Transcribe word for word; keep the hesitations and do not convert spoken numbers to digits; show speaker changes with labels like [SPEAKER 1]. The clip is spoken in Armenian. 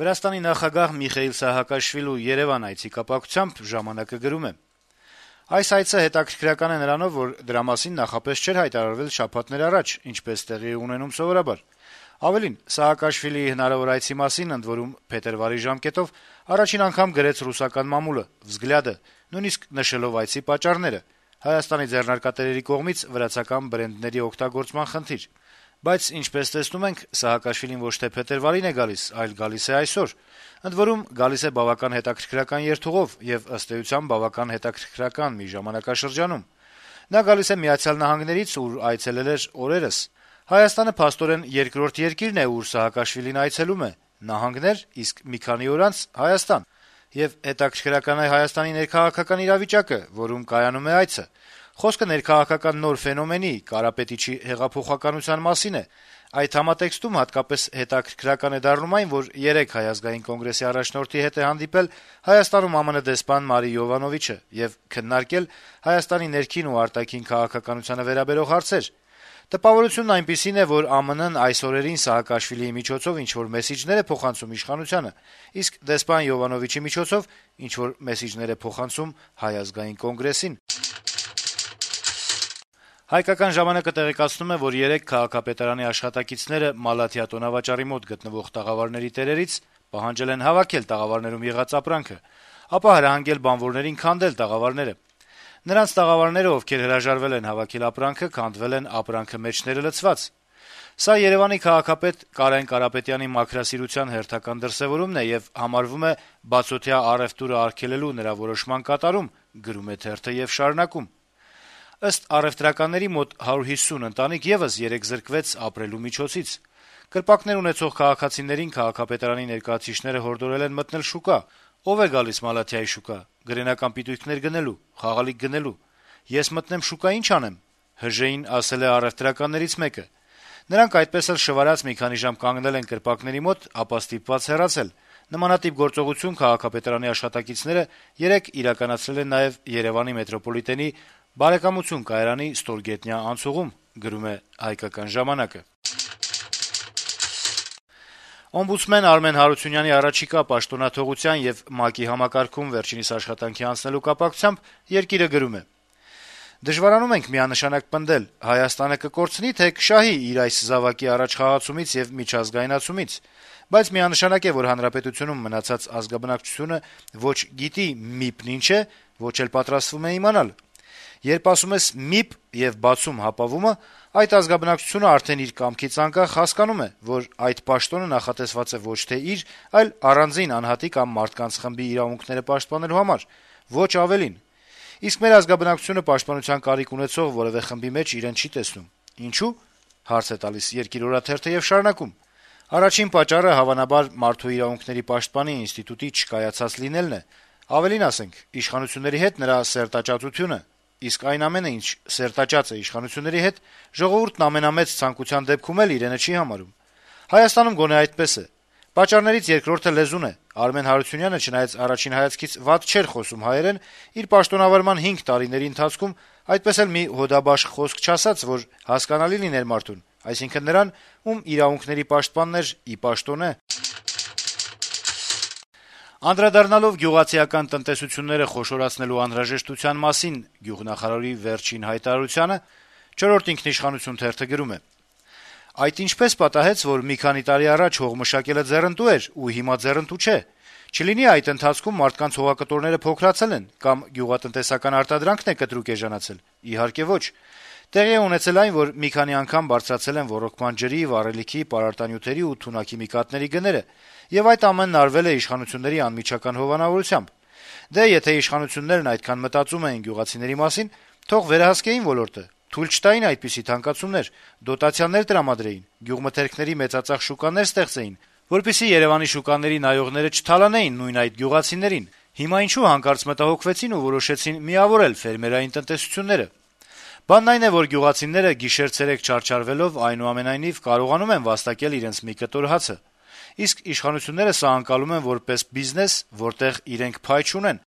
[SPEAKER 1] Վրաստանի նախագահ Միխեիլ Սահակաշվիլու Երեւան այցի կապակցությամբ «Ժամանակ»-ը գրում է. - «Այս այցը հետաքրքրական է նրանով, որ դրա մասին նախապես չէր հայտարարվել շաբաթներ առաջ, ինչպես տեղի է ունենում սովորաբար։ Ավելին, Սահակաշվիլիի հնարավոր այցի մասին ընդ որում փետրվարի ժամկետով առաջին անգամ գրեց ռուսական մամուլը «Վզգլյադը», նույնիսկ նշելով այցի պատճառները՝ Հայաստանի ձեռնարկատերերի կողմից վրացական բրենդների օգտագործման խնդիր։ Բայց, ինչպես տեսնում ենք, Սահակաշվիլին ոչ թե փետրվարին է գալիս, այլ գալիս է այսօր։ Ընդ որում, գալիս է բավական հետաքրքրական երթուղով եւ ըստ էության բավական հետաքրքրական մի ժամանակաշրջանում։ Նա գալիս է Միացյալ Նահանգներից, ուր այցելել էր օրերս։ Հայաստանը փաստորեն երկրորդ երկիրն է, ուր Սահակաշվիլին այցելում է, նահանգներ, իսկ մի քանի օր անց Հայաստան։ Եվ հետաքրքրական է Հայաստանի ներքաղաքական իրավիճակը, որում կայանում է այցը։ Խոսքը ներքաղաքական նոր ֆենոմենի՝ Կարապետիչի հեղափոխականության մասին է։ Այդ համատեքստում հատկապես հետաքրքրական է դառնում այն, որ երեկ Հայ ազգային կոնգրեսի առաջնորդի հետ է հանդիպել Հայաստանում ԱՄՆ դեսպան Մարի Յովանովիչը եւ քննարկել Հայաստանի ներքին ու արտաքին քաղաքականությանը վերաբերող հարցեր։ Տպավորությունն այնպիսին է, որ ԱՄՆ-ն այս օրերին Սահակաշվիլիի միջոցով ինչ-որ մեսիջներ է փոխանցում իշխանությանը, իսկ դեսպան Յովանովիչի միջոցով ինչ-որ մեսիջներ է փոխանցում Հայ ազգային կոնգրեսին»։ «Հայկական ժամանակ»-ը տեղեկացնում է, որ երեկ քաղաքապետարանի աշխատակիցները Մալաթիա տոնավաճառի մոտ գտնվող տաղավարների տերերից պահանջել են հավաքել տաղավարներում եղած ապրանքը, ապա հրահանգել բանվորներին քանդել տաղավարները։ Նրանց տաղավարները, ովքեր հրաժարվել են հավաքել ապրանքը, քանդվել են ապրանքը մեջները լցված։ Սա Երեւանի քաղաքապետ Կարեն Կարապետյանի մաքրասիրության հերթական դրսեւորումն է եւ համարվում է բացօթյա առեւտուրը արգելելու նրա որոշման կատարում, գրում է թերթը եւ շարունակում. - «Ըստ առեւտրականների մոտ հարյուր հիսուն ընտանիք եւս երեկ զրկվեց ապրելու միջոցից։ Կրպակներ ունեցող քաղաքացիներին քաղաքապետարանի ներկայացուցիչները հորդորել են մտնել շուկա։ Ով է գալիս Մալաթիայի շուկա՝ գրենական պիտույքներ գնելու, խաղալիք գնելու։ Ես մտնեմ շուկա, ի՞նչ անեմ», ՀԺ-ին ասել է առեւտրականներից մեկը։ Նրանք այդպես էլ շվարած մի քանի ժամ կանգնել են կրպակների մոտ, ապա ստիպված հեռացել։ Նմանատիպ գործողություն քաղաքապետարանի աշխատակիցները երեկ իրականացրել են նաեւ Երեւանի մետրոպոլիտենի Բարեկամություն կայարանի ստորգետնյա անցուղում, գրում է «Հայկական ժամանակ»-ը։ Օմբուդսմեն Արմեն Հարությունյանի առաջիկա պաշտոնաթողության եւ ՄԱԿ-ի համակարգում վերջինիս աշխատանքի անցնելու կապակցությամբ «Երկիր»-ը գրում է. - «Դժվարանում ենք միանշանակ պնդել՝ Հայաստանը կկորցնի, թե կշահի իր այս զավակի առաջխաղացումից եւ միջազգայնացումից, բայց միանշանակ է, որ հանրապետությունում մնացած ազգաբնակչությունը ոչ գիտի ՄԻՊ-ն ինչ է, ոչ էլ պատրաստվում է իմանալ։ Երբ ասում ես ՄԻՊ եւ բացում հապավումը, այդ ազգաբնակչությունը արդեն իր կամքից անկախ հասկանում է, որ այդ պաշտոնը նախատեսված է ոչ թե իր, այլ առանձին անհատի կամ մարդկանց խմբի իրավունքները պաշտպանելու համար, ոչ ավելին։ Իսկ մեր ազգաբնակչությունը պաշտպանության կարիք ունեցող որեւէ խմբի մեջ իրեն չի տեսնում։ Ինչու՞, հարց է տալիս «Երկիր» օրաթերթը եւ շարունակում. - «Առաջին պատճառը հավանաբար մարդու իրավունքների պաշտպանի ինստիտուտի չկայացած լինելն է, ավելին ասենք, իշխանությունների հետ նրա սերտաճածությունը, իսկ այն ամենը, ինչ սերտաճած է իշխանությունների հետ, ժողովուրդն ամենամեծ ցանկության դեպքում էլ իրենը չի համարում։ Հայաստանում գոնե այդպես է։ Պատճառներից երկրորդը լեզուն է։ Արմեն Հարությունյանը, չնայած առաջին հայացքից վատ չէր խոսում հայերեն, իր պաշտոնավարման հինգ տարիների ընթացքում այդպես էլ մի հոդաբաշխ խոսք չասաց, որ հասկանալի լիներ մարդուն, այսինքն նրան, ում իրավունքների պաշտպանն էր ի պաշտոնե»։ Անդրադառնալով գյուղացիական տնտեսությունները խոշորացնելու անհրաժեշտության մասին գյուղնախարարի վերջին հայտարարությանը, «Չորրորդ ինքնիշխանություն» թերթը գրում է. - «Այդ ինչպես պատահեց, որ մի քանի տարի առաջ հողմշակելը ձեռնտու էր ու հիմա ձեռնտու չէ։ Չլինի այդ ընթացքում մարդկանց հողակտորները փոքրացել են կամ գյուղատնտեսական արտադրանքն է կտրուկ էժանացել։ Իհարկե ոչ։ Տեղի է ունեցել այն, որ մի քանի անգամ բարձրացել են ոռոգման ջրի, վառելիքի, պարարտանյութերի ու թունաքիմիկատների գները, եւ այդ ամենն արվել է իշխանությունների անմիջական հովանավորությամբ։ Դե եթե իշխանություններն այդքան մտածում էին գյուղացիների մասին, թող վերահսկեին ոլորտը, թույլ չտային այդպիսի թանկացումներ, դոտացիաներ տրամադրեին, գյուղմթերքների մեծածախ շուկաներ ստեղծեին, որպեսզի Երեւանի շուկաների նայողները չթալանեին նույն այդ գյուղացիներին։ Հիմա ինչու հանկարծ մտահոգվեցին ու որոշեցին միավորել ֆերմերային տնտեսությունները։ Բանն այն է, որ գյուղացիները գիշեր-ցերեկ չարչարվելով այնուամենայնիվ կարողանում են վաստակել իրենց մի կտոր հացը։ Իսկ իշխանությունները սա անցալում են որպես բիզնես, որտեղ իրենք փայ չունեն։